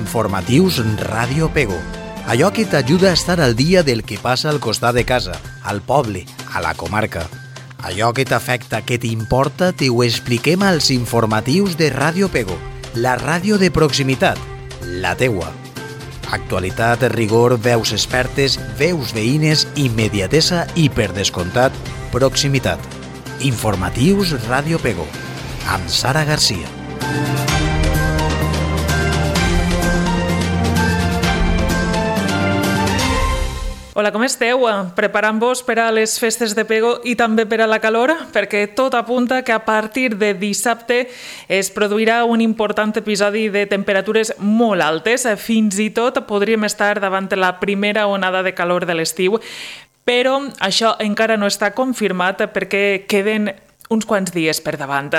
Informatius Ràdio Pego. Allò que t'ajuda a estar al dia del que passa al costat de casa, al poble, a la comarca. Allò que t'afecta, que t'importa, t'ho expliquem als informatius de Ràdio Pego, la ràdio de proximitat, la teua. Actualitat, rigor, veus expertes, veus veïnes, immediatesa i, per descomptat, proximitat. Informatius Ràdio Pego, amb Sara Garcia. Hola, com esteu? Preparant-vos per a les festes de Pego i també per a la calor? Perquè tot apunta que a partir de dissabte es produirà un important episodi de temperatures molt altes. Fins i tot podríem estar davant la primera onada de calor de l'estiu, però això encara no està confirmat perquè queden uns quants dies per davant.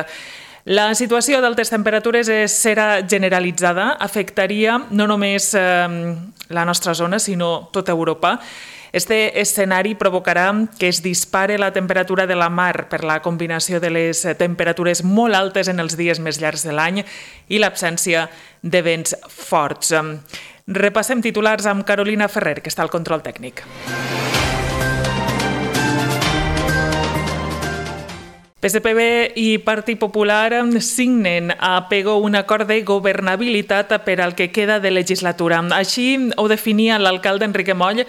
La situació d'altes temperatures serà generalitzada, afectaria no només la nostra zona, sinó tota Europa. Este escenari provocarà que es dispare la temperatura de la mar per la combinació de les temperatures molt altes en els dies més llargs de l'any i l'absència de vents forts. Repassem titulars amb Carolina Ferrer, que està al control tècnic. PSPB i Partit Popular signen a Pego un acord de governabilitat per al que queda de legislatura. Així ho definia l'alcalde Enrique Moll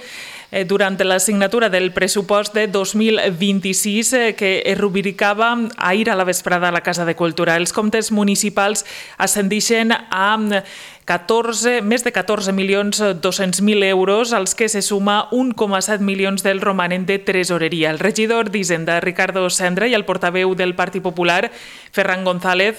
durant la signatura del pressupost de 2026 que es rubricava ahir a la vesprada a la Casa de Cultura. Els comptes municipals ascendeixen a més de 14.200.000 euros, als que se suma 1,7 milions del romanent de tresoreria. El regidor d'Hisenda, Ricardo Sendra, i el portaveu del Partit Popular, Ferran González,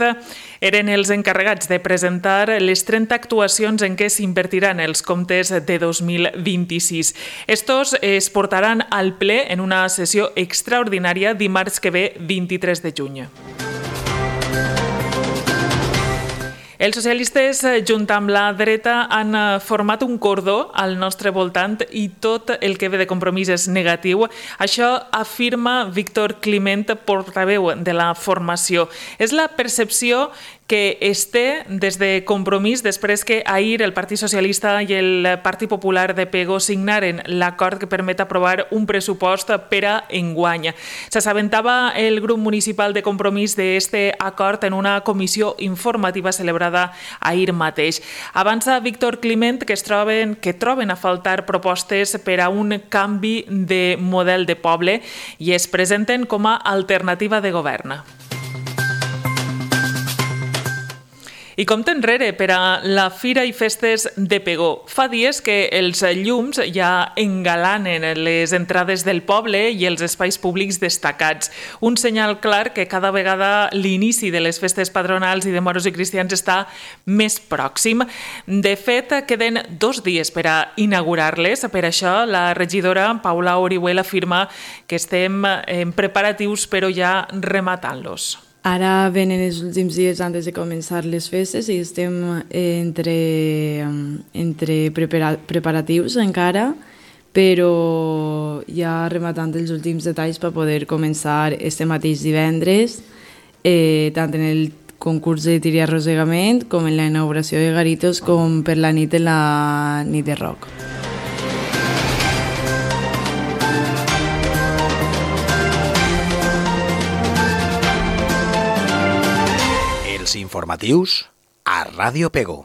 eren els encarregats de presentar les 30 actuacions en què s'invertiran els comptes de 2026. Estos es portaran al ple en una sessió extraordinària dimarts que ve, 23 de juny. Els socialistes, junt amb la dreta, han format un cordó al nostre voltant i tot el que ve de Compromís és negatiu. Això afirma Víctor Climent, portaveu de la formació. És la percepció que es té des de Compromís després que ahir el Partit Socialista i el Partit Popular de Pego signaren l'acord que permet aprovar un pressupost per a enguany. S'assabentava el grup municipal de Compromís d'aquest acord en una comissió informativa celebrada ahir mateix. Avança Víctor Climent que troben a faltar propostes per a un canvi de model de poble i es presenten com a alternativa de govern. I compte enrere per a la Fira i Festes de Pego. Fa dies que els llums ja engalanen les entrades del poble i els espais públics destacats. Un senyal clar que cada vegada l'inici de les festes patronals i de moros i cristians està més pròxim. De fet, queden 2 dies per a inaugurar-les. Per això, la regidora Paula Orihuel afirma que estem en preparatius però ja rematant-los. Ara venen els últims dies antes de començar les festes i estem entre preparatius encara, però ja rematant els últims detalls per poder començar este mateix divendres, tant en el concurs de tir i arrossegament com en la inauguració de garitos com per la nit de la nit de rock. Informatius a Ràdio Pego.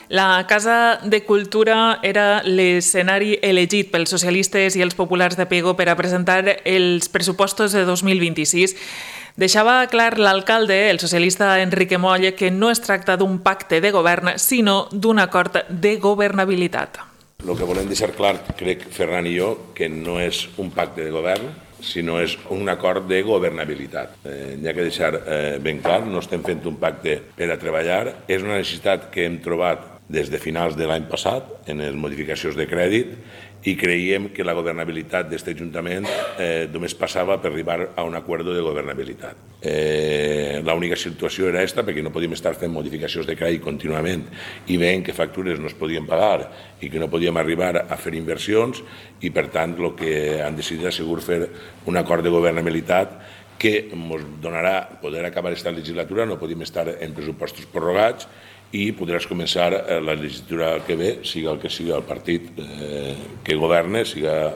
La Casa de Cultura era l'escenari elegit pels socialistes i els populars de Pego per a presentar els pressupostos de 2026. Deixava clar l'alcalde, el socialista Enrique Moll, que no es tracta d'un pacte de govern, sinó d'un acord de governabilitat. El que volem deixar clar, crec, Ferran i jo, que no és un pacte de govern, sinó és un acord de governabilitat. Hi ha que deixar ben clar, no estem fent un pacte per a treballar, és una necessitat que hem trobat des de finals de l'any passat en les modificacions de crèdit i creiem que la governabilitat d'aquest Ajuntament només passava per arribar a un acord de governabilitat. L'única situació era aquesta, perquè no podíem estar fent modificacions de crèdit contínuament i veient que factures no es podien pagar i que no podíem arribar a fer inversions i, per tant, el que han decidit és segur fer un acord de governabilitat que ens donarà poder acabar aquesta legislatura, no podíem estar en pressupostos prorrogats i podràs començar la legislatura que ve, siga el que sigui el partit que governa, siga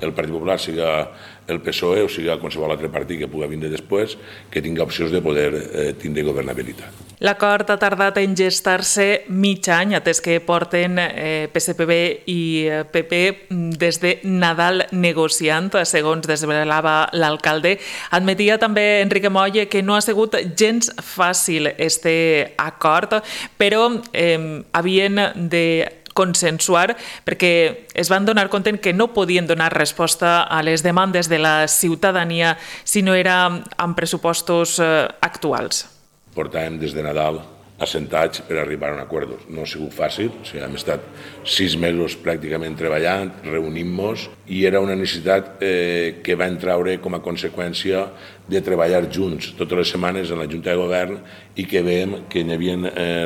el Partit Popular, siga el PSOE o siga qualsevol altre partit que pugui vindre després, que tingui opcions de poder tindre governabilitat. L'acord ha tardat en gestar-se mig any, atès que porten PSPB i PP des de Nadal negociant, segons desvelava l'alcalde. Admetia també Enrique Moll que no ha sigut gens fàcil este acord, però havien de consensuar perquè es van donar compte que no podien donar resposta a les demandes de la ciutadania si no era amb pressupostos actuals. Portàvem des de Nadal assentats per arribar a un acord. No ha sigut fàcil, hem estat 6 mesos pràcticament treballant, reunint-nos, i era una necessitat que va treure com a conseqüència de treballar junts totes les setmanes en la Junta de Govern i que veiem que hi havia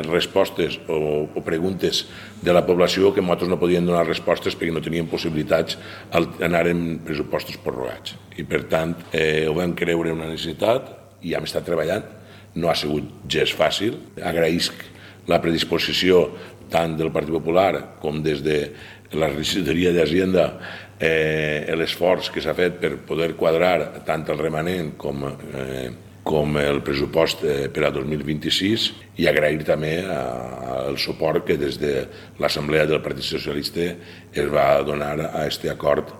respostes o preguntes de la població que nosaltres no podíem donar respostes perquè no teníem possibilitats d'anar en pressupostos prorrogats. I per tant ho vam creure una necessitat i hem estat treballant. No ha sigut gens fàcil. Agraïsc la predisposició tant del Partit Popular com des de la regidoria d'Hisenda, l'esforç que s'ha fet per poder quadrar tant el remanent com el pressupost per a 2026 i agrair també el suport que des de l'Assemblea del Partit Socialista es va donar a aquest acord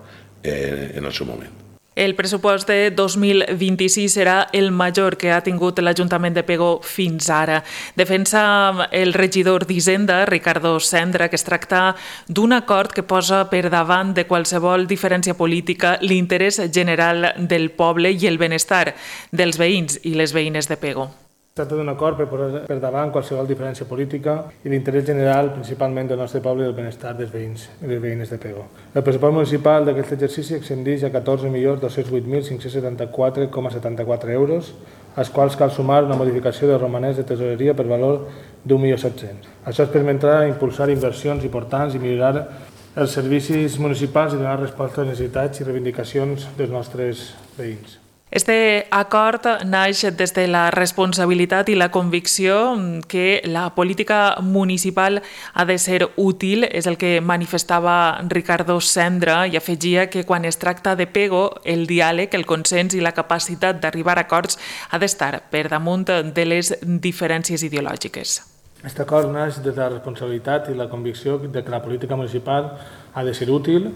en el seu moment. El pressupost de 2026 serà el major que ha tingut l'Ajuntament de Pego fins ara. Defensa el regidor d'Hisenda, Ricardo Sendra, que es tracta d'un acord que posa per davant de qualsevol diferència política l'interès general del poble i el benestar dels veïns i les veïnes de Pego. Es tracta d'un acord per posar per davant qualsevol diferència política i l'interès general principalment del nostre poble i del benestar dels veïns i les veïnes de Pego. El pressupost municipal d'aquest exercici ascendeix a 14.208.574,74 euros, als quals cal sumar una modificació de romanents de tesoreria per valor d'1.700.000. Això es permetrà impulsar inversions importants i millorar els servicis municipals i donar resposta a les necessitats i reivindicacions dels nostres veïns. Este acord naix des de la responsabilitat i la convicció que la política municipal ha de ser útil, és el que manifestava Ricardo Sendra, i afegia que quan es tracta de Pego, el diàleg, el consens i la capacitat d'arribar a acords ha d'estar per damunt de les diferències ideològiques. Aquest acord naix des de la responsabilitat i la convicció de que la política municipal ha de ser útil.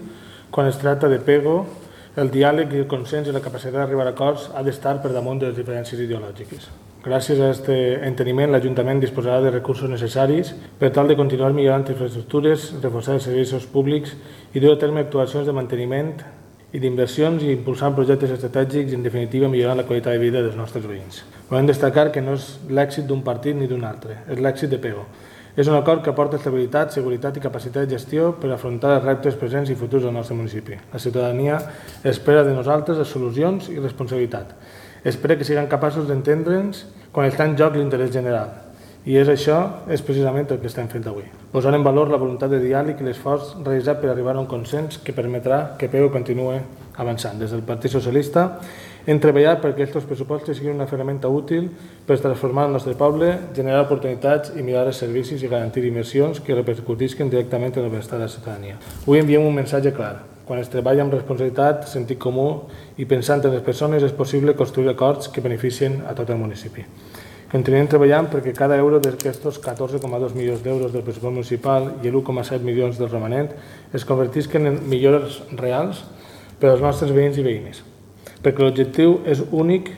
Quan es tracta de Pego, el diàleg i el consens i la capacitat d'arribar a acords ha d'estar per damunt de les diferències ideològiques. Gràcies a aquest enteniment, l'Ajuntament disposarà de recursos necessaris per tal de continuar millorant infraestructures, reforçar els serveis públics i dur a terme actuacions de manteniment i d'inversions i impulsant projectes estratègics i, en definitiva, millorant la qualitat de vida dels nostres veïns. Volem destacar que no és l'èxit d'un partit ni d'un altre, és l'èxit de Pego. És un acord que aporta estabilitat, seguretat i capacitat de gestió per afrontar els reptes presents i futurs del nostre municipi. La ciutadania espera de nosaltres solucions i responsabilitat. Espera que siguem capaços d'entendre'ns quan està en joc l'interès general. I això és precisament el que estem fent avui. Posant en valor la voluntat de diàleg i l'esforç realitzat per arribar a un consens que permetrà que Pego continuï avançant. Des del Partit Socialista hem treballat perquè aquests pressupostos siguin una ferramenta útil per transformar el nostre poble, generar oportunitats i millorar els servicis i garantir inversions que repercutisquen directament en el benestar de la ciutadania. Avui enviem un missatge clar. Quan es treballa amb responsabilitat, sentit comú i pensant en les persones, és possible construir acords que beneficien a tot el municipi. Continuem treballant perquè cada euro d'aquests 14,2 milions d'euros del pressupost municipal i el 1,7 milions del romanent es convertisquen en millores reals per als nostres veïns i veïnes. Perquè l'objectiu és únic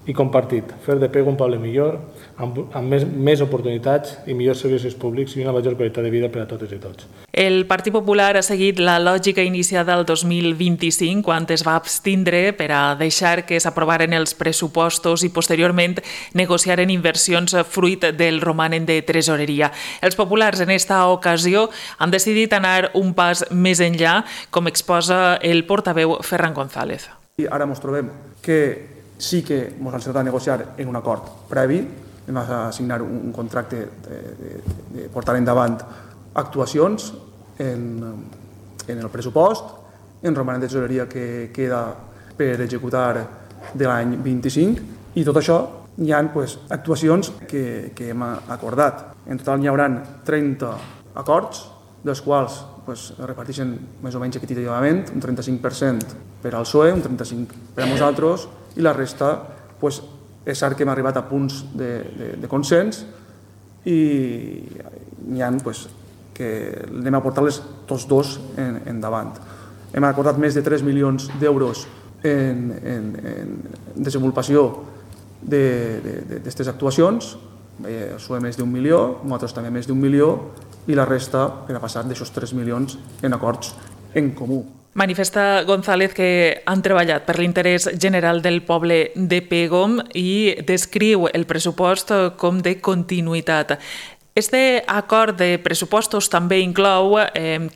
i compartit, fer de Pego un poble millor, amb més oportunitats i millors servicis públics i una major qualitat de vida per a totes i tots. El Partit Popular ha seguit la lògica iniciada el 2025, quan es va abstindre per a deixar que s'aprovaren els pressupostos i posteriorment negociaren inversions fruit del romanent de tresoreria. Els populars en esta ocasió han decidit anar un pas més enllà, com exposa el portaveu Ferran González. I ara ens trobem que sí que ens han sentat a negociar en un acord previ, vam assignar un contracte de portar endavant actuacions en el pressupost, en romanent de tesoreria que queda per executar de l'any 25, i tot això hi ha actuacions que hem acordat. En total hi haurà 30 acords, dels quals es reparteixen més o menys equitativament, un 35% per al PSOE, un 35% per a nosaltres, i la resta és cert que hem arribat a punts de consens i n'hi ha que anem a portar-les tots dos endavant. Hem acordat més de 3 milions d'euros en desenvolupació d'aquestes actuacions, el PSOE més d'1 milió, nosaltres també més d'1 milió, i la resta per a passar d'aixòs 3 milions en acords en comú. Manifesta González que han treballat per l'interès general del poble de Pego i descriu el pressupost com de continuïtat. Este acord de pressupostos també inclou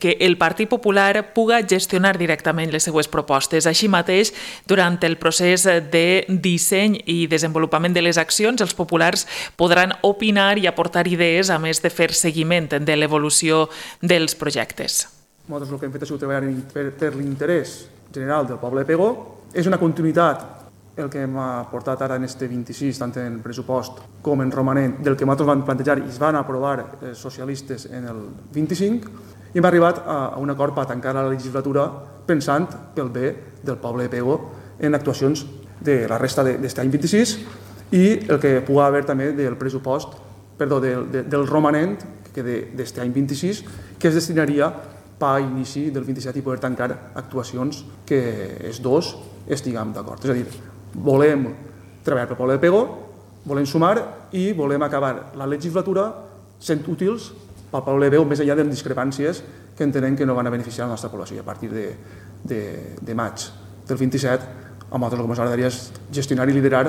que el Partit Popular puga gestionar directament les seues propostes. Així mateix, durant el procés de disseny i desenvolupament de les accions, els populars podran opinar i aportar idees, a més de fer seguiment de l'evolució dels projectes. Nosaltres el que hem fet ha sigut treballar per l'interès general del poble de Pego. És una continuïtat el que hem portat ara en este 26, tant en pressupost com en romanent, del que nosaltres vam plantejar i es van aprovar els socialistes en el 25, i hem arribat a un acord per tancar la legislatura pensant pel bé del poble de Pego en actuacions de la resta d'aquest any 26 i el que pugui haver també del pressupost, del romanent d'aquest any 26, que es destinaria per a inici del 27 i poder tancar actuacions que els dos estiguem d'acord. És a dir, volem treballar pel poble de Pego, volem sumar i volem acabar la legislatura sent útils pel poble de Pego, més enllà de les discrepàncies que entenem que no van a beneficiar la nostra població. A partir de maig del 27, a nosaltres el que ens agradaria és gestionar i liderar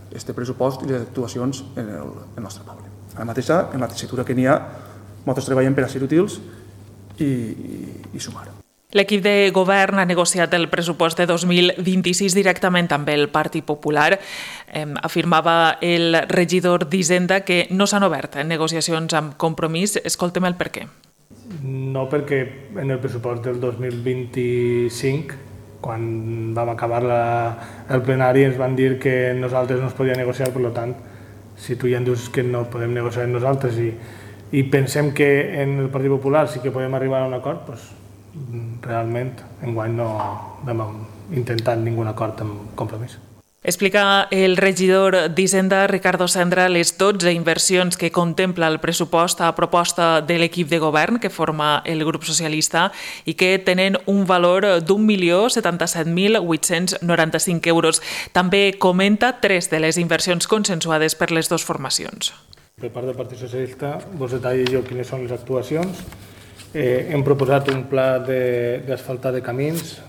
aquest pressupost i les actuacions en el nostre poble. Ara mateix, en la tessitura que n'hi ha, nosaltres treballem per a ser útils i sumar. L'equip de govern ha negociat el pressupost de 2026 directament amb el Partit Popular. Afirmava el regidor d'Hisenda que no s'han obert negociacions amb Compromís. Escoltem el per què. No, perquè en el pressupost del 2025, quan vam acabar el plenari, ens van dir que nosaltres no es podia negociar, per tant, si tu ja em dius que no podem negociar amb nosaltres i pensem que en el Partit Popular sí que podem arribar a un acord, doncs realment enguany no hem intentat ningun acord amb Compromís. Explica el regidor d'Hisenda, Ricardo Sendra, les 12 inversions que contempla el pressupost a proposta de l'equip de govern que forma el grup socialista i que tenen un valor d'1.077.895 euros. També comenta 3 de les inversions consensuades per les dues formacions. Per part del Partit Socialista, vos detallo jo quines són les actuacions. Hem proposat un pla d'asfaltar de camins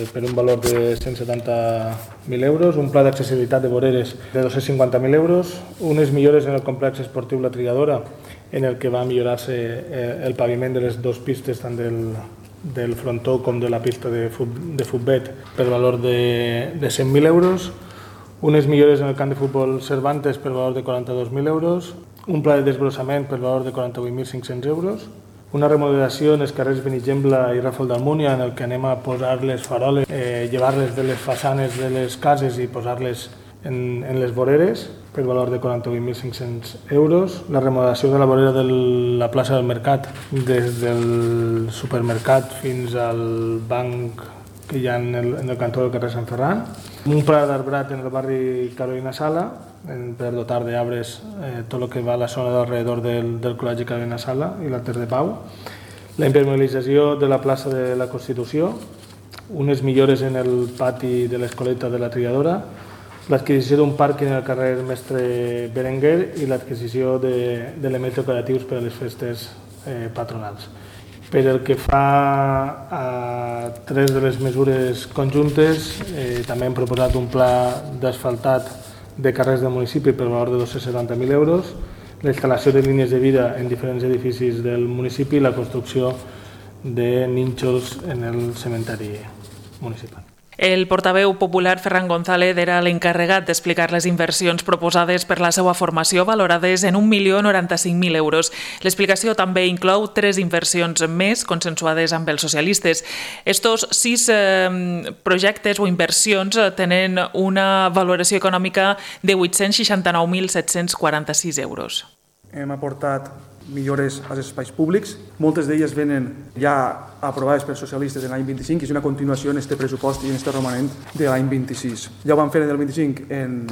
per un valor de 170.000 euros, un pla d'accessibilitat de voreres de 250.000 euros, unes millores en el complex esportiu La Trigadora, en el que va millorar-se el paviment de les dues pistes, tant del frontó com de la pista de futbet, per valor de 100.000 euros, unes millores en el camp de futbol Cervantes per valor de 42.000 euros, un pla de desbrossament per valor de 48.500 euros, una remodelació en els carrers Benigembla i Ràfol d'Almúnia, en el que anem a posar les faroles, llevar-les de les façanes de les cases i posar-les en les voreres per valor de 48.500 euros, la remodelació de la vorera de la plaça del Mercat, des del supermercat fins al banc que hi ha en el cantó del carrer Sant Ferran, un pla d'arbrat en el barri Carolina Sala, per dotar d'arbres tot el que va a la zona d'alrededor del Col·legi Carolina Sala i l'Alter de Pau, la impermeabilització de la plaça de la Constitució, unes millores en el pati de l'Escoleta de La Trigadora, l'adquisició d'un pàrquing al carrer Mestre Berenguer i l'adquisició d'elements decoratius per a les festes patronals. Per el que fa a 3 de les mesures conjuntes, també hem proposat un pla d'asfaltat de carrers del municipi per valor de 270.000 euros, la instal·lació de línies de vida en diferents edificis del municipi i la construcció de nínxols en el cementeri municipal. El portaveu popular Ferran González era l'encarregat d'explicar les inversions proposades per la seva formació valorades en 1.095.000 euros. L'explicació també inclou 3 inversions més consensuades amb els socialistes. Estos 6 projectes o inversions tenen una valoració econòmica de 869.746 euros. Hem aportat millores als espais públics. Moltes d'elles venen ja aprovades per socialistes en l'any 25 i és una continuació en aquest pressupost i en aquest romanent de l'any 26. Ja ho vam fer en el 25 en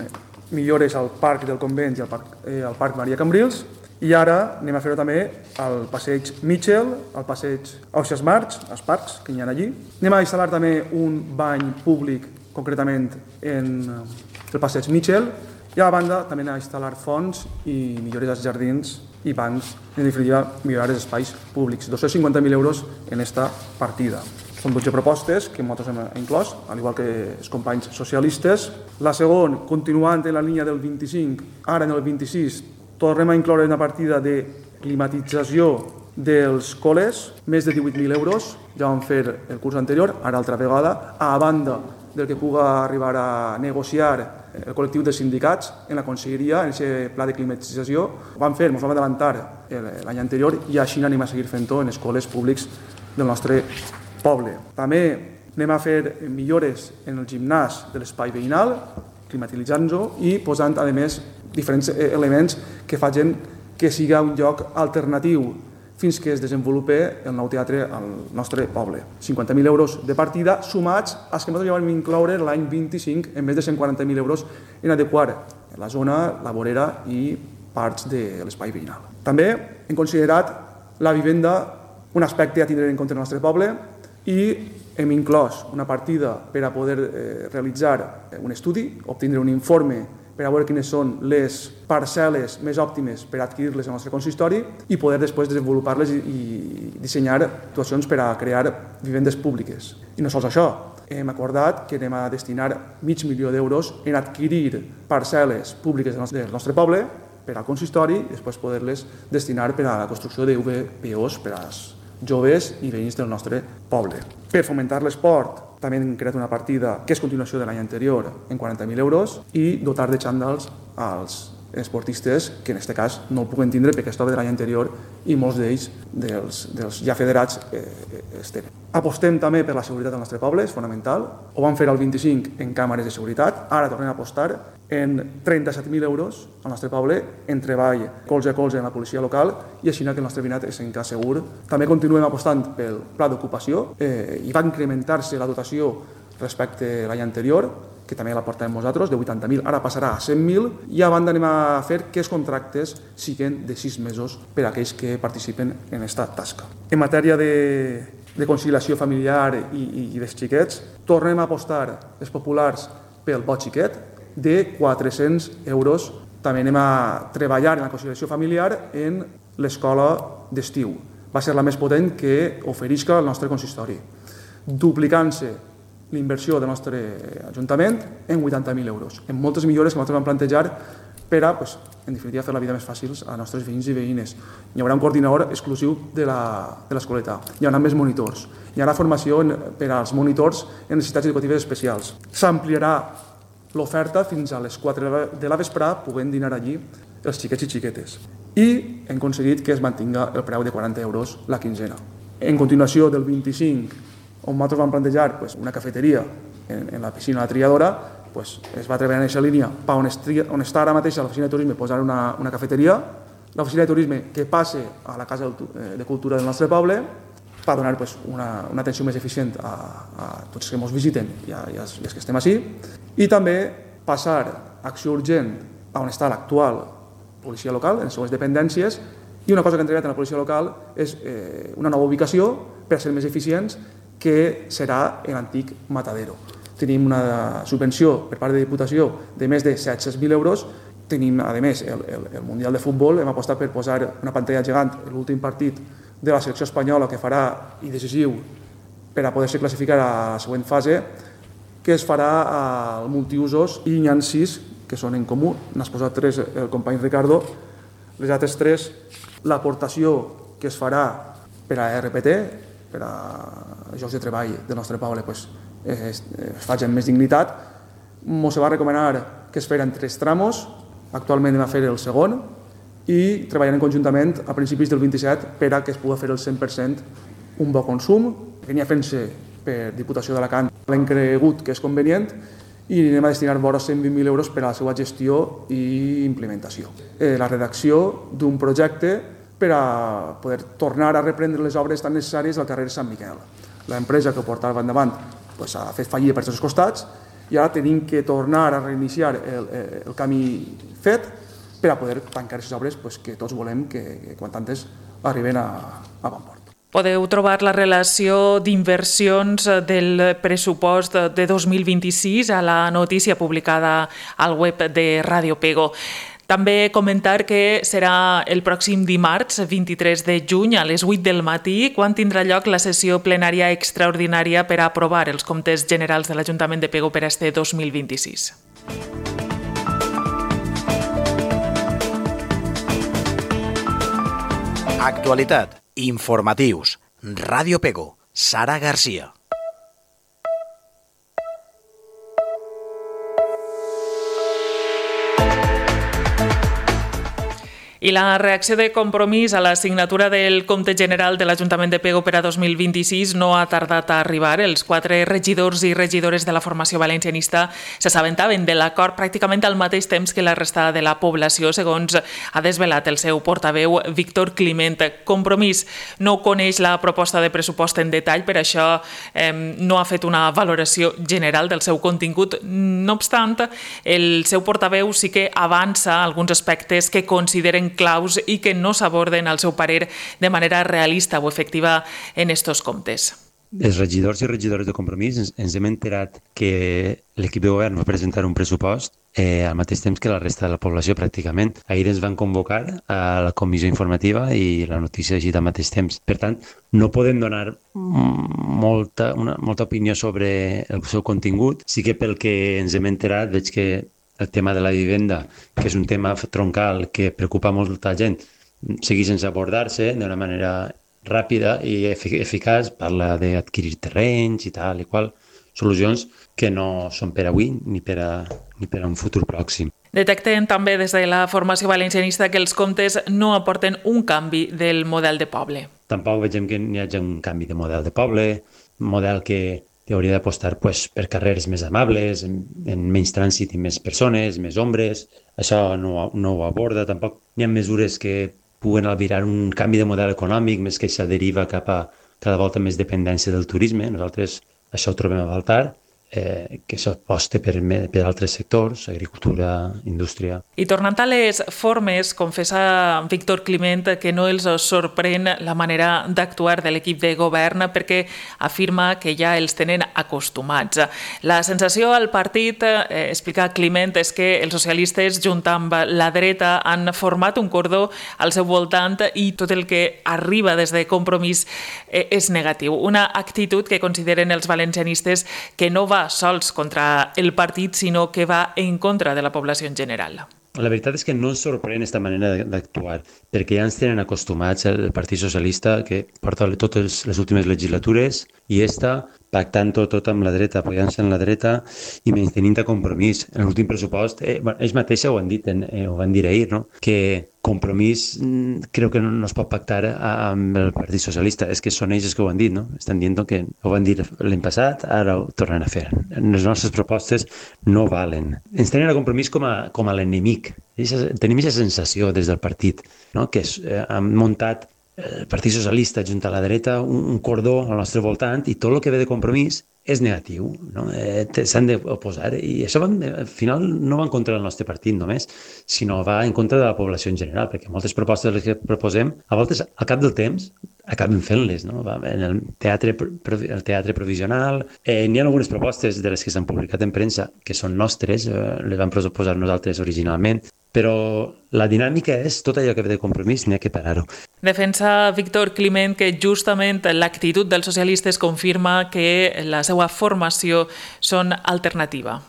millores al Parc del Convent i al Parc Maria Cambrils i ara anem a fer-ho també al passeig Mitchell, al passeig Ausiàs March, als parcs que hi ha allí. Anem a instal·lar també un bany públic, concretament en el passeig Mitchell, i a la banda també anem a instal·lar fonts i millores als jardins i bancs, en definitiva, millorar els espais públics. 250.000 euros en esta partida. Són 12 propostes que nosaltres hem inclòs, al igual que els companys socialistes. La segona, continuant en la línia del 25, ara en el 26, tornem a incloure una partida de climatització dels col·les, més de 18.000 euros, ja vam fer el curs anterior, ara altra vegada, a banda del que puga arribar a negociar el col·lectiu de sindicats en la conselleria, en aquest pla de climatització. Ho vam fer, ens vam adelantar l'any anterior i així anem a seguir fent-ho en els col·les públics del nostre poble. També anem a fer millores en el gimnàs de l'espai veïnal, climatitzant-lo i posant, a més, diferents elements que facin que sigui un lloc alternatiu fins que es desenvolupi el nou teatre al nostre poble. 50.000 euros de partida sumats als que nosaltres ja vam incloure l'any 25 en més de 140.000 euros en adequar la zona, la vorera i parts de l'espai veïnal. També hem considerat la vivenda un aspecte a tindre en compte en el nostre poble i hem inclòs una partida per a poder realitzar un estudi, obtindre un informe per a veure quines són les parcel·les més òptimes per adquirir-les al nostre consistori i poder després desenvolupar-les i dissenyar actuacions per a crear vivendes públiques. I no sols això, hem acordat que anem a destinar 500.000 d'euros en adquirir parcel·les públiques del nostre poble per al consistori i després poder-les destinar per a la construcció d'UVPOs per als joves i veïns del nostre poble. Per fomentar l'esport, també hem creat una partida que és continuació de l'any anterior en 40.000 euros i dotar de xandals als esportistes que en aquest cas no el puguen tindre perquè és de l'any anterior i molts d'ells, dels ja federats, es tenen. Apostem també per la seguretat del nostre poble, és fonamental. Ho vam fer al 25 en càmeres de seguretat, ara tornem a apostar en 37.000 euros al nostre poble en treball colze a colze en la policia local i així que el nostre veïnat és en cas segur. També continuem apostant pel pla d'ocupació i va incrementar-se la dotació respecte a l'any anterior, que també la portàvem nosaltres, de 80.000, ara passarà a 100.000 i a banda anem a fer que els contractes siguin de 6 mesos per a aquells que participen en aquesta tasca. En matèria de conciliació familiar i dels xiquets, tornem a apostar els populars pel bo xiquet de 400 euros. També anem a treballar en la conciliació familiar en l'escola d'estiu. Va ser la més potent que oferisca el nostre consistori, duplicant-se l'inversió del nostre Ajuntament en 80.000 euros, en moltes millores que nosaltres vam plantejar per a, en definitiva, fer la vida més fàcil als nostres veïns i veïnes. Hi haurà un coordinador exclusiu de l'escoleta, hi haurà més monitors, hi haurà formació per als monitors en necessitats educatives especials. S'ampliarà l'oferta fins a les 4 de la vesprà, podent dinar allí els xiquets i xiquetes. I hem aconseguit que es mantinga el preu de 40 euros la quinzena. En continuació del 25, on nosaltres vam plantejar una cafeteria en la piscina de la Triadora, es va treballar en aquesta línia on està ara mateix l'oficina de turisme posar una cafeteria, l'oficina de turisme que passe a la Casa de Cultura del nostre poble per donar una atenció més eficient a tots els que ens visiten i als que estem així, i també passar a acció urgent on està l'actual policia local, en les seues dependències, i una cosa que hem treballat en la policia local és una nova ubicació per ser més eficients, que serà l'antic Matadero. tenim una subvenció per part de Diputació de més de 700.000 euros. Tenim, a més, el Mundial de Futbol. Hem apostat per posar una pantalla gegant en l'últim partit de la selecció espanyola que farà i decisiu per a poder-se classificar a la següent fase, que es farà al multiusos, i n'hi ha 6 que són en comú. N'has posat 3 el company Ricardo. Les altres 3, l'aportació que es farà per a RPT, per a jocs de treball del nostre poble, es faci amb més dignitat. Ens va recomanar que es feren 3 tramos, actualment hem a fer el segon, i treballarem conjuntament a principis del 27 per a que es pugui fer el 100% un bo consum. Venia fent-se per Diputació d'Alacant, l'hem cregut que és convenient, i anem a destinar vora 120.000 euros per a la seva gestió i implementació. La redacció d'un projecte per a poder tornar a reprendre les obres tan necessàries al carrer Sant Miquel. L'empresa que ho portava endavant ha fet fallida per tots els costats i ara tenim que tornar a reiniciar el camí fet per a poder tancar aquestes obres que tots volem que quan tantes arriben a bon port. Podeu trobar la relació d'inversions del pressupost de 2026 a la notícia publicada al web de Ràdio Pego. També comentar que serà el pròxim dimarts, 23 de juny, a les 8 del matí, quan tindrà lloc la sessió plenària extraordinària per a aprovar els comptes generals de l'Ajuntament de Pego per a este 2026. Actualitat, informatius, Ràdio Pego, Sara Garcia. I la reacció de Compromís a la signatura del compte general de l'Ajuntament de Pego per a 2026 no ha tardat a arribar. Els 4 regidors i regidores de la formació valencianista s'assabentaven de l'acord pràcticament al mateix temps que la resta de la població, segons ha desvelat el seu portaveu Víctor Climent. Compromís no coneix la proposta de pressupost en detall, per això no ha fet una valoració general del seu contingut. No obstant, el seu portaveu sí que avança alguns aspectes que consideren claus i que no s'aborden, al seu parer, de manera realista o efectiva en estos comptes. Els regidors i regidores de Compromís ens hem enterat que l'equip de govern va presentar un pressupost al mateix temps que la resta de la població, pràcticament. Ahir ens van convocar a la comissió informativa i la notícia així al mateix temps. Per tant, no podem donar molta opinió sobre el seu contingut. Sí que pel que ens hem enterat veig que el tema de la vivenda, que és un tema troncal que preocupa molta gent, segueix sense abordar-se d'una manera ràpida i eficaç. Parla d'adquirir terrenys i tal i qual, solucions que no són per avui ni per a un futur pròxim. Detecten també des de la formació valencianista que els comptes no aporten un canvi del model de poble. Tampoc veiem que hi hagi un canvi de model de poble, model que hauria d'apostar per carrers més amables, en menys trànsit i més persones, més ombres. Això no ho aborda. Tampoc hi ha mesures que puguen albirar un canvi de model econòmic, més que això deriva cap a cada volta més dependència del turisme. Nosaltres això ho trobem a faltar, que s'aposta per altres sectors, agricultura, indústria. I tornant a les formes, confessa Víctor Climent que no els sorprèn la manera d'actuar de l'equip de govern perquè afirma que ja els tenen acostumats. La sensació al partit, explica Climent, és que els socialistes, junt amb la dreta, han format un cordó al seu voltant i tot el que arriba des de Compromís és negatiu. Una actitud que consideren els valencianistes que no va sols contra el partit, sinó que va en contra de la població en general. La veritat és que no ens sorprèn aquesta manera d'actuar, perquè ja ens tenen acostumats el Partit Socialista, que porta totes les últimes legislatures, i pactant tot amb la dreta, apoyant-se en la dreta i menys a Compromís. En l'últim pressupost, ells mateixos ho han dit, ho van dir ahir, no? Que Compromís creu que no es pot pactar amb el Partit Socialista. És que són ells que ho han dit, no? Estan dient que ho van dir l'any passat, ara ho tornen a fer. Les nostres propostes no valen. Ens tenen a Compromís com a l'enemic. Tenim aquesta sensació des del partit, no? Que han muntat el Partit Socialista junt a la dreta un cordó al nostre voltant i tot el que ve de Compromís és negatiu, no? S'han d'oposar i això al final no va en contra del nostre partit només, sinó va en contra de la població en general, perquè moltes propostes que proposem, a voltes al cap del temps acaben fent-les, no? En el teatre provisional. N'hi ha algunes propostes de les que s'han publicat en premsa que són nostres, les vam proposar nosaltres originalment, però la dinàmica és tot allò que ve de Compromís, n'hi ha que parar-ho. Defensa Víctor Climent que justament l'actitud dels socialistes confirma que la seva formació són alternativa.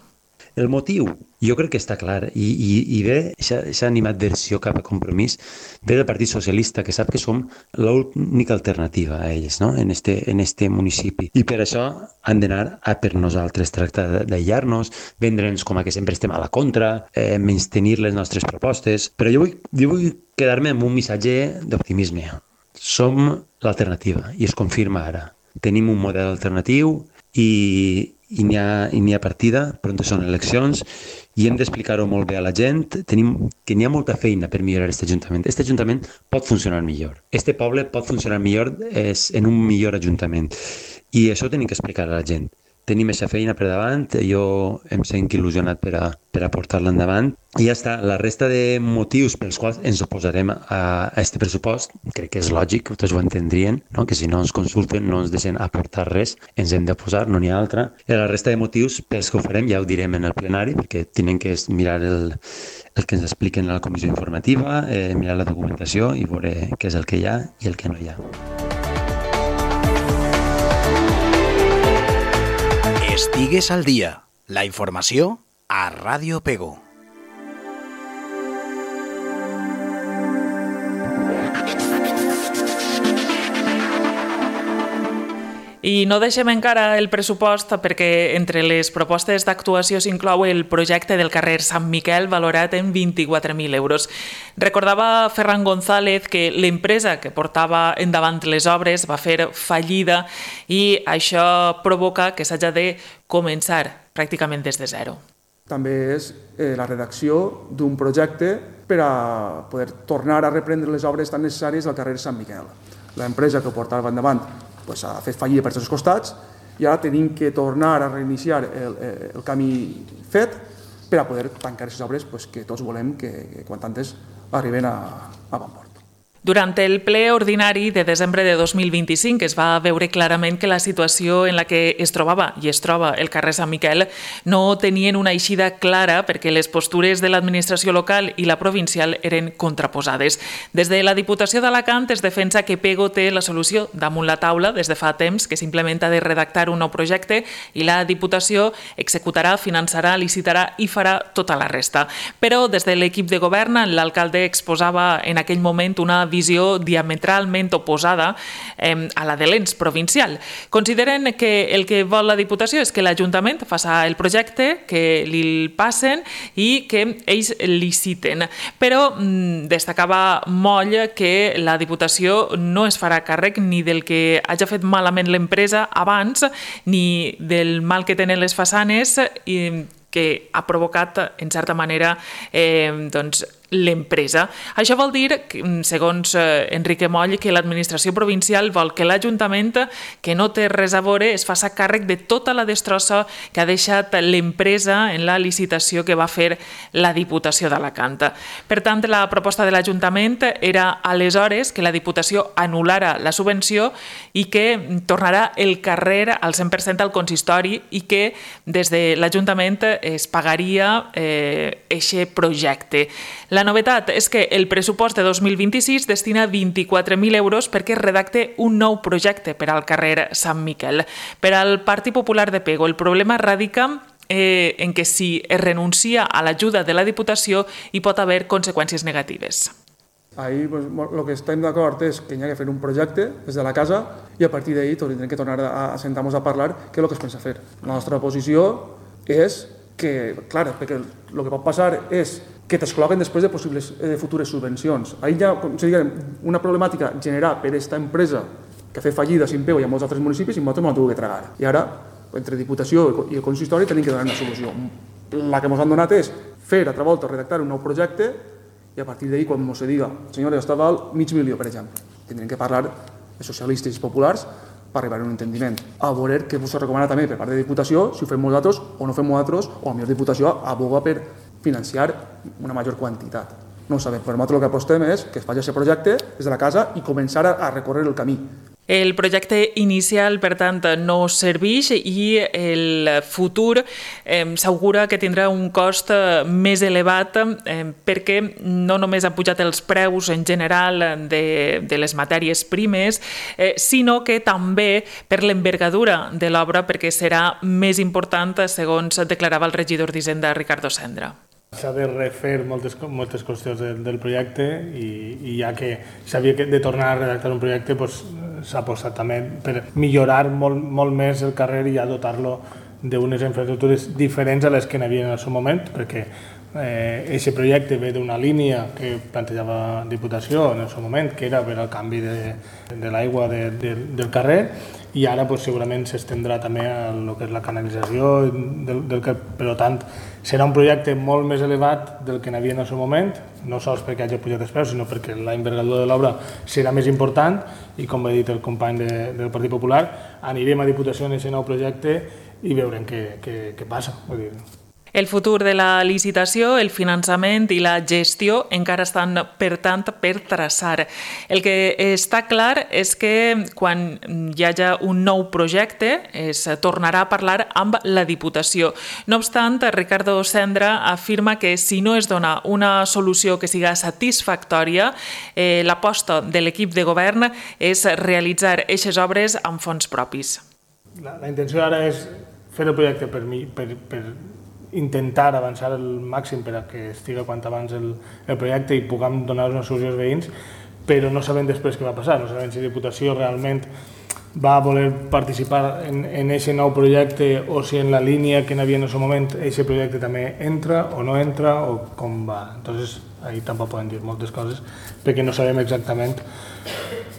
El motiu, jo crec que està clar, i ve, aquesta animadversió cap a Compromís, ve del Partit Socialista, que sap que som l'única alternativa a ells, no? en este municipi. I per això han d'anar a per nosaltres, tractar d'aïllar-nos, vendre'ns com a que sempre estem a la contra, menystenir les nostres propostes, però jo vull quedar-me amb un missatge d'optimisme. Som l'alternativa, i es confirma ara. Tenim un model alternatiu i n'hi ha partida, però són eleccions, i hem d'explicar-ho molt bé a la gent. Tenim que n'hi ha molta feina per millorar aquest Ajuntament. Aquest Ajuntament pot funcionar millor. Este poble pot funcionar millor en un millor Ajuntament. I això ho tenim que explicar a la gent. Tenim aquesta feina per davant, jo em sento il·lusionat per a portar-la endavant. I ja està, la resta de motius pels quals ens oposarem a aquest pressupost, crec que és lògic, tots ho entendrien, no? Que si no ens consulten, no ens deixen aportar res, ens hem de posar, no n'hi ha altra. I la resta de motius pels que ho farem ja ho direm en el plenari, perquè tenen que mirar el que ens expliquen a la comissió informativa, mirar la documentació i veure què és el que hi ha i el que no hi ha. Estigues al dia. La informació a Ràdio Pego. I no deixem encara el pressupost perquè entre les propostes d'actuació s'inclou el projecte del carrer Sant Miquel valorat en 24.000 euros. Recordava Ferran González que l'empresa que portava endavant les obres va fer fallida i això provoca que s'hagi de començar pràcticament des de zero. També és la redacció d'un projecte per a poder tornar a reprendre les obres tan necessàries al carrer Sant Miquel. L'empresa que ho portava endavant ha fet fallida per tots els costats i ara tenim que tornar a reiniciar el camí fet per a poder tancar aquestes obres que tots volem que quan antes arriben a bon port. Durant el ple ordinari de desembre de 2025 es va veure clarament que la situació en la que es trobava i es troba el carrer Sant Miquel no tenien una eixida clara perquè les postures de l'administració local i la provincial eren contraposades. Des de la Diputació d'Alacant es defensa que Pego té la solució damunt la taula des de fa temps, que simplement ha de redactar un nou projecte i la Diputació executarà, finançarà, licitarà i farà tota la resta. Però des de l'equip de govern l'alcalde exposava en aquell moment una visió diametralment oposada a la de l'ens provincial. Consideren que el que vol la Diputació és que l'Ajuntament faci el projecte, que li passen i que ells liciten. Però destacava molt que la Diputació no es farà càrrec ni del que hagi fet malament l'empresa abans ni del mal que tenen les façanes que ha provocat, en certa manera, l'empresa. Això vol dir, segons Enrique Moll, que l'administració provincial vol que l'Ajuntament, que no té res a veure, es faci càrrec de tota la destrossa que ha deixat l'empresa en la licitació que va fer la Diputació d'Alacant. Per tant, la proposta de l'Ajuntament era aleshores que la Diputació anul·lara la subvenció i que tornarà el carrer al 100% al consistori i que des de l'Ajuntament es pagaria aquest projecte. La novetat és que el pressupost de 2026 destina 24.000 euros perquè redacte un nou projecte per al carrer Sant Miquel. Per al Partit Popular de Pego, el problema radica en que si es renuncia a l'ajuda de la Diputació hi pot haver conseqüències negatives. Ahir el que estem d'acord és que hi ha que fer un projecte des de la casa i a partir d'ahir tindrem que tornar a sentar-nos a parlar què és el que es pensa fer. La nostra posició és que, clar, perquè el que pot passar és que t'excloguen després de possibles futures subvencions. Ahir hi ha una problemàtica generada per aquesta empresa que ha fet fallida a Pego i a molts altres municipis i nosaltres no l'hem de tragar. I ara, entre Diputació i el consistori, tenim que donar una solució. La que ens han donat és fer, altra volta, redactar un nou projecte i a partir d'ahir, quan ens diga, senyora, està val $500.000, per exemple. Tindrem que parlar de socialistes i populars per arribar a un entendiment. A veure què us recomana també per part de Diputació, si ho fem nosaltres o no fem nosaltres, o a millor Diputació aboga per financiar una major quantitat. No ho sabem, però nosaltres el que apostem és que es faci aquest projecte des de la casa i començar a recórrer el camí. El projecte inicial, per tant, no serveix i el futur s'augura que tindrà un cost més elevat perquè no només han pujat els preus en general de les matèries primes, sinó que també per l'envergadura de l'obra, perquè serà més important, segons declarava el regidor d'Hisenda, Ricardo Sendra. S'ha de refer moltes qüestions del projecte i ja que s'havia de tornar a redactar un projecte, s'ha apostat també per millorar molt més el carrer i ja dotar-lo d'unes infraestructures diferents a les que n'hi havia en el seu moment, perquè aquest projecte ve d'una línia que plantejava Diputació en el seu moment, que era per al canvi de l'aigua del carrer, i ara segurament s'estendrà també a el que és la canalització per tant serà un projecte molt més elevat del que n'hi havia en el seu moment, no sols perquè hagi pujat els preus, sinó perquè la envergadura de l'obra serà més important i, com ha dit el company del Partit Popular, anirem a Diputació en aquest nou projecte i veurem què passa. Vull dir, el futur de la licitació, el finançament i la gestió encara estan, per tant, per traçar. El que està clar és que quan hi hagi un nou projecte es tornarà a parlar amb la Diputació. No obstant, Ricardo Sendra afirma que si no es dona una solució que siga satisfactòria, l'aposta de l'equip de govern és realitzar aquestes obres amb fons propis. La intenció ara és fer el projecte per intentar avançar el màxim per a que estigui quant abans el projecte i puguem donar una solució als veïns, però no sabem després què va passar, no sabem si Diputació realment va voler participar en aquest nou projecte o si en la línia que n'hi havia en el seu moment aquest projecte també entra o no entra o com va. Entonces, ahí tampoc podem dir moltes coses perquè no sabem exactament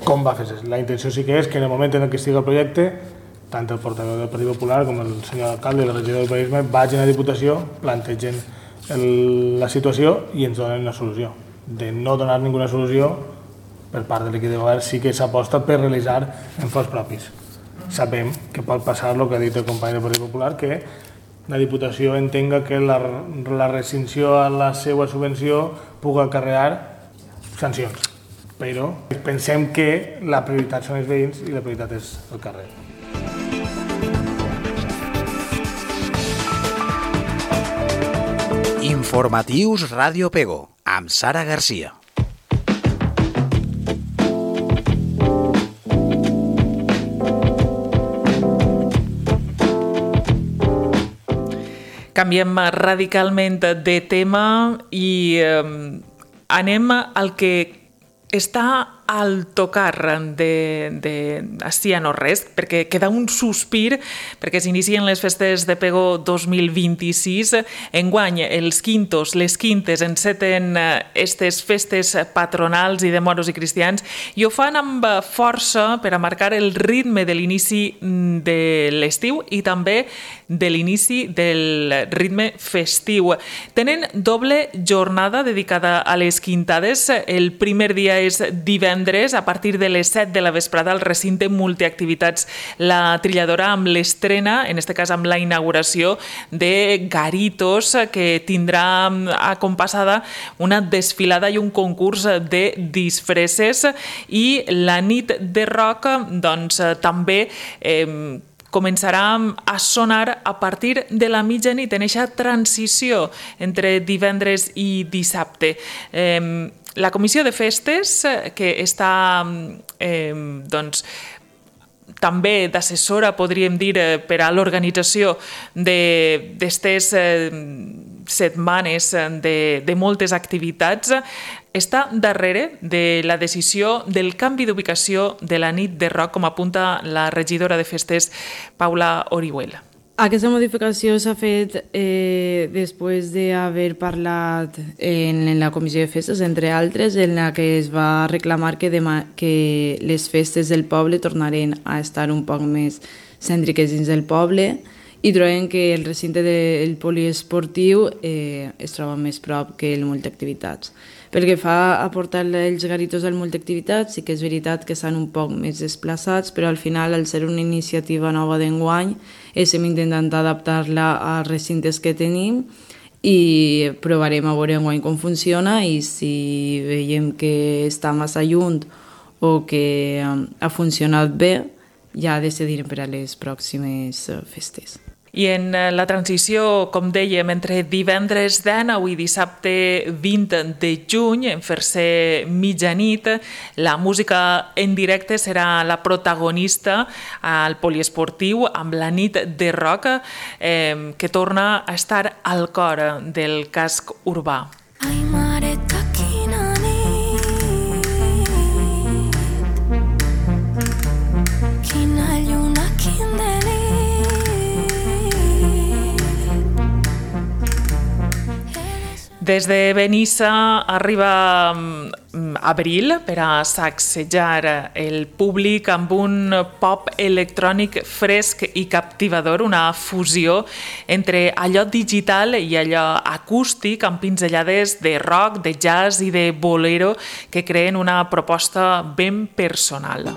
com va fer-se. La intenció sí que és que en el moment en què estigui el projecte tant el portaveu del Partit Popular com el senyor alcalde i el regidor d'Urbanisme vagin a Diputació, plantegen la situació i ens donen una solució. De no donar ninguna solució, per part de l'equip de govern sí que s'aposta per realitzar en fons propis. Sabem que pot passar el que ha dit el company del Partit Popular, que la Diputació entenga que la rescissió a la seva subvenció pugui acarrear sancions. Però pensem que la prioritat són els veïns i la prioritat és el carrer. Informatius Ràdio Pego, amb Sara Garcia. Canviem radicalment de tema i anem al que està al tocar d'ací a no res, perquè queda un sospir, perquè s'inicien les festes de Pego 2026. Enguany, els quintos, les quintes, enceten aquestes festes patronals i de moros i cristians i ho fan amb força per a marcar el ritme de l'inici de l'estiu i també de l'inici del ritme festiu. Tenen doble jornada dedicada a les quintades. El primer dia és divendres, a partir de les 7 de la vesprada, al recinte multiactivitats La Trilladora, amb l'estrena, en aquest cas amb la inauguració de Garitos, que tindrà acompassada una desfilada i un concurs de disfresses, i la nit de rock també començarà a sonar a partir de la mitjanit, en aquesta transició entre divendres i dissabte. La Comissió de Festes, que està també d'assessora, podríem dir, per a l'organització d'aquestes setmanes de moltes activitats, està darrere de la decisió del canvi d'ubicació de la nit de rock, com apunta la regidora de festes, Paula Orihuela. Aquesta modificació s'ha fet després d'haver parlat en la Comissió de Festes, entre altres, en la que es va reclamar que les festes del poble tornaren a estar un poc més cèntriques dins del poble i trobem que el recinte del poliesportiu es troba més prop que el multiactivitats. Pel que fa a portar els garitos al multiactivitats, sí que és veritat que estan un poc més desplaçats, però al final, al ser una iniciativa nova d'enguany, estem intentant adaptar-la als recintes que tenim i provarem a veure enguany com funciona i si veiem que està massa lluny o que ha funcionat bé, ja decidirem per a les pròximes festes. I en la transició, com dèiem, entre divendres 19 i dissabte 20 de juny, en fer-se mitjanit, la música en directe serà la protagonista al poliesportiu amb la nit de rock que torna a estar al cor del casc urbà. Ai, mareta, quina nit, quina lluna, quin delit. Des de Benissa arriba abril per a sacsejar el públic amb un pop electrònic fresc i captivador, una fusió entre allò digital i allò acústic amb pinzellades de rock, de jazz i de bolero que creen una proposta ben personal.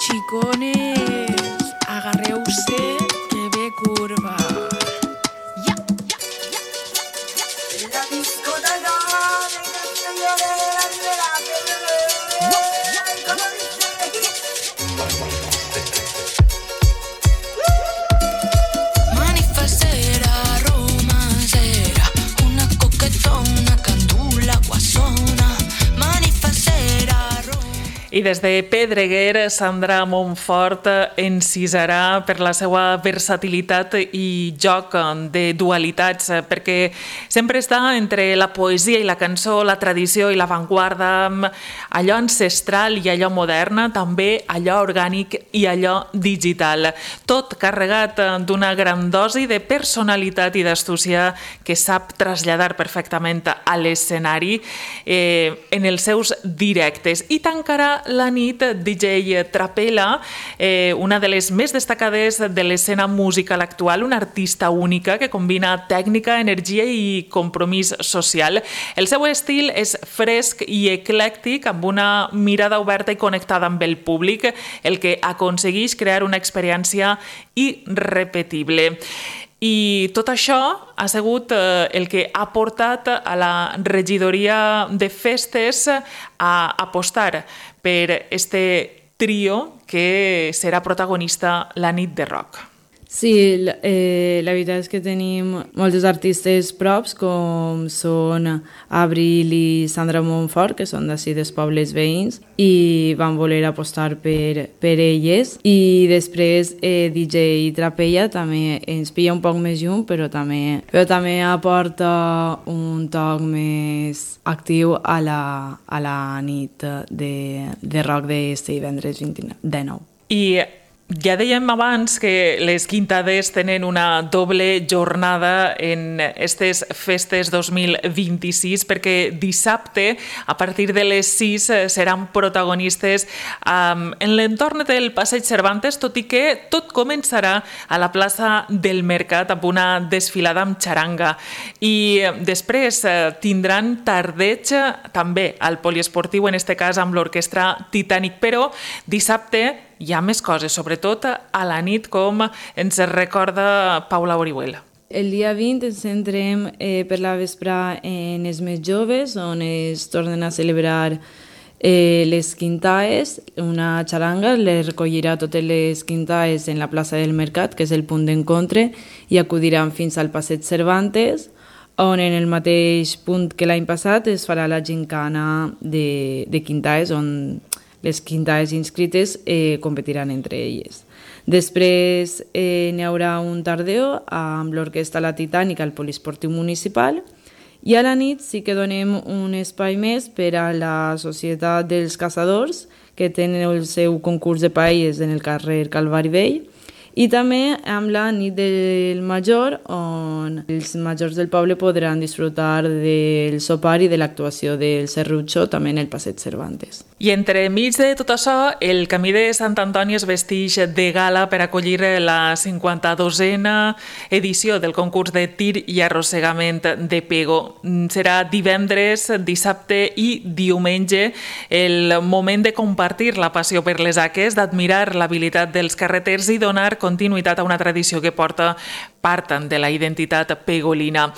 Chicones, agarreu-se que ve curva. Ja, ja, ja, ja. La discoteca manifestera, romancera, una coquetona, candula, guasona, manifestera, I des de Pedreguer, Sandra Montfort encisarà per la seva versatilitat i joc de dualitats, perquè sempre està entre la poesia i la cançó, la tradició i l'avantguarda, allò ancestral i allò modern, també allò orgànic i allò digital. Tot carregat d'una gran dosi de personalitat i d'astúcia que sap traslladar perfectament a l'escenari en els seus directes. I tancarà la nit DJ Trapella, una de les més destacades de l'escena musical actual, una artista única que combina tècnica, energia i compromís social. El seu estil és fresc i eclèctic, amb una mirada oberta i connectada amb el públic, el que aconsegueix crear una experiència irrepetible. I tot això ha sigut el que ha portat a la regidoria de festes a apostar per este trio que serà protagonista la nit de rock. Sí, la veritat és que tenim molts artistes props, com són Abril i Sandra Montfort, que són d'ací dels pobles veïns, i van voler apostar per elles. I després DJ Trapella també ens pilla un poc més lluny, però també aporta un toc més actiu a la nit de rock d'este divendres 29. I ja dèiem abans que les Quintades tenen una doble jornada en aquestes festes 2026 perquè dissabte, a partir de les 6, seran protagonistes en l'entorn del Passeig Cervantes, tot i que tot començarà a la plaça del Mercat amb una desfilada amb xaranga. I després tindran tardeig també al poliesportiu, en este cas amb l'orquestra Titanic, però dissabte hi ha més coses, sobretot a la nit, com ens recorda Paula Orihuela. El dia 20 ens centrem per la vesprà en els més joves, on es tornen a celebrar les Quintaes. Una xaranga les recollirà totes les Quintaes en la plaça del Mercat, que és el punt d'encontre, i acudiran fins al Passeig Cervantes, on en el mateix punt que l'any passat es farà la gincana de Quintaes, on les Quintaes inscrites competiran entre elles. Després n'hi haurà un tardeo amb l'orquestra La Titànica al Poliesportiu Municipal, i a la nit sí que donem un espai més per a la Societat dels Caçadors, que tenen el seu concurs de paelles en el carrer Calvari Vell, i també amb la nit del major, on els majors del poble podran disfrutar del sopar i de l'actuació del Serrucho també en el Passeig Cervantes. I entremig de tot això, el Camí de Sant Antoni es vesteix de gala per acollir la 52a edició del concurs de tir i arrossegament de Pego. Serà divendres, dissabte i diumenge el moment de compartir la passió per les haques, d'admirar l'habilitat dels carreters i donar continuïtat a una tradició que porta part de la identitat pegolina.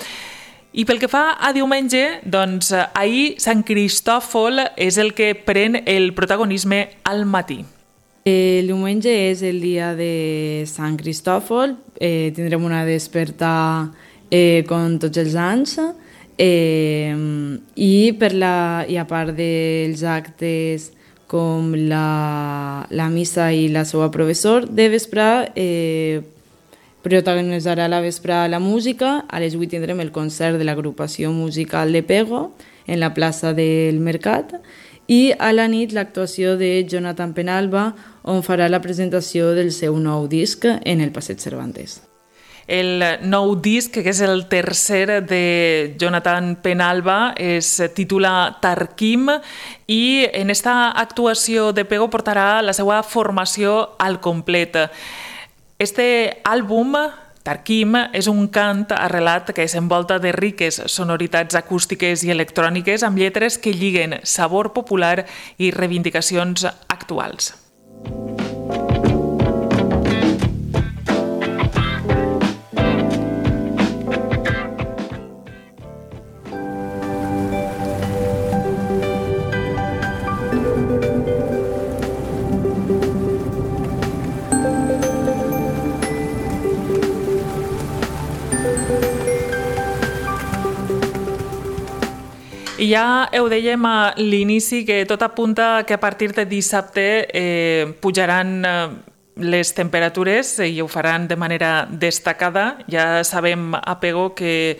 I pel que fa a diumenge, doncs ahir Sant Cristòfol és el que pren el protagonisme al matí. El diumenge és el dia de Sant Cristòfol, tindrem una desperta com tots els anys i a part dels actes com la missa i la seva professor, de vesprà protagonitzarà la vesprà la música. A les 8 tindrem el concert de l'agrupació musical de Pego en la plaça del Mercat i a la nit l'actuació de Jonathan Penalba, on farà la presentació del seu nou disc en el Passeig Cervantes. El nou disc, que és el tercer de Jonathan Penalba, es titula Tarquim i en esta actuació de Pego portarà la seva formació al complet. Este àlbum, Tarquim, és un cant arrelat que s'envolta de riques sonoritats acústiques i electròniques amb lletres que lliguen sabor popular i reivindicacions actuals. I ja ho dèiem a l'inici que tot apunta que a partir de dissabte pujaran les temperatures i ho faran de manera destacada. Ja sabem a Pego que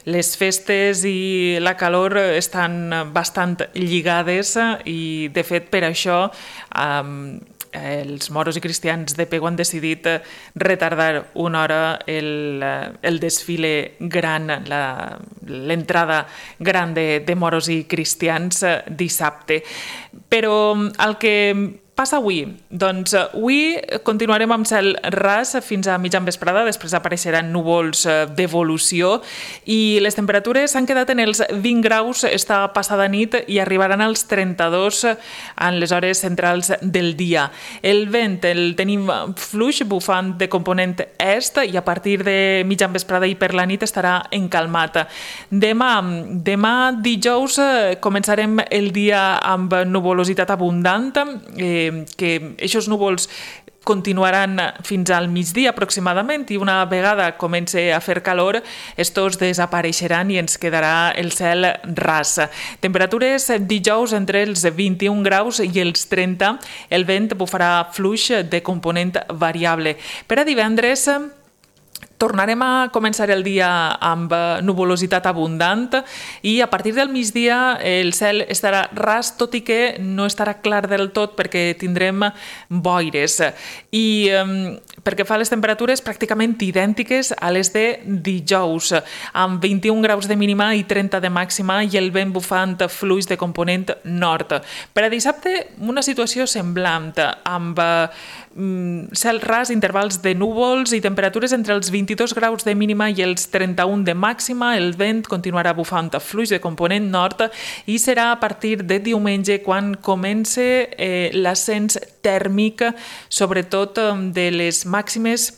les festes i la calor estan bastant lligades i, de fet, per això els moros i cristians de Pego han decidit retardar una hora el desfile gran, l'entrada gran de moros i cristians dissabte. Però el que passa avui? Doncs avui continuarem amb cel ras fins a mitjan vesprada, després apareixeran núvols d'evolució i les temperatures s'han quedat en els 20 graus esta passada nit i arribaran als 32 en les hores centrals del dia. El vent el tenim fluix, bufant de component est i a partir de mitjan vesprada i per la nit estarà encalmat. Demà dijous començarem el dia amb nuvolositat abundant, que aquests núvols continuaran fins al migdia aproximadament i una vegada comenci a fer calor, estos desapareixeran i ens quedarà el cel ras. Temperatures dijous entre els 21 graus i els 30, el vent bufarà fluix de component variable. Per a divendres tornarem a començar el dia amb nuvolositat abundant i a partir del migdia el cel estarà ras, tot i que no estarà clar del tot perquè tindrem boires. I pel que fa a les temperatures pràcticament idèntiques a les de dijous, amb 21 graus de mínima i 30 de màxima i el vent bufant fluix de component nord. Per a dissabte, una situació semblant, amb cel ras, intervals de núvols i temperatures entre els 22 graus de mínima i els 31 de màxima. El vent continuarà bufant fluix de component nord i serà a partir de diumenge quan comence l'ascens tèrmic, sobretot de les màximes,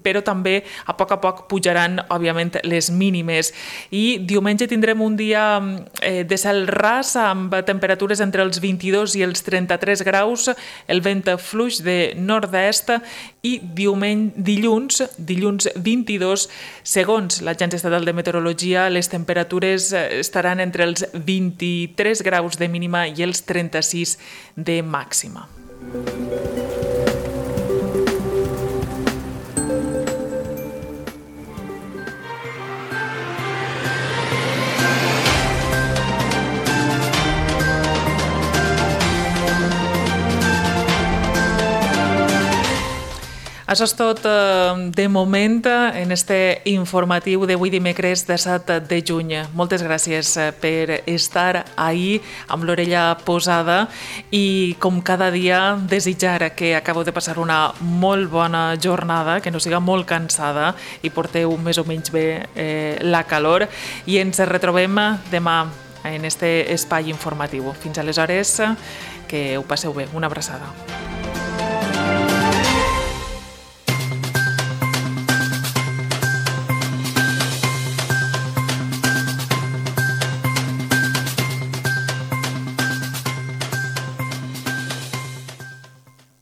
però també a poc pujaran, òbviament, les mínimes. I diumenge tindrem un dia de cel ras amb temperatures entre els 22 i els 33 graus, el vent fluix de nord-est i dilluns 22, segons l'Agència Estatal de Meteorologia, les temperatures estaran entre els 23 graus de mínima i els 36 de màxima. Això és tot de moment en este informatiu d'avui dimecres de 7 de juny. Moltes gràcies per estar ahí amb l'orella posada i com cada dia desitjar que acabeu de passar una molt bona jornada, que no siga molt cansada i porteu més o menys bé la calor i ens retrobem demà en este espai informatiu. Fins aleshores, que ho passeu bé. Una abraçada.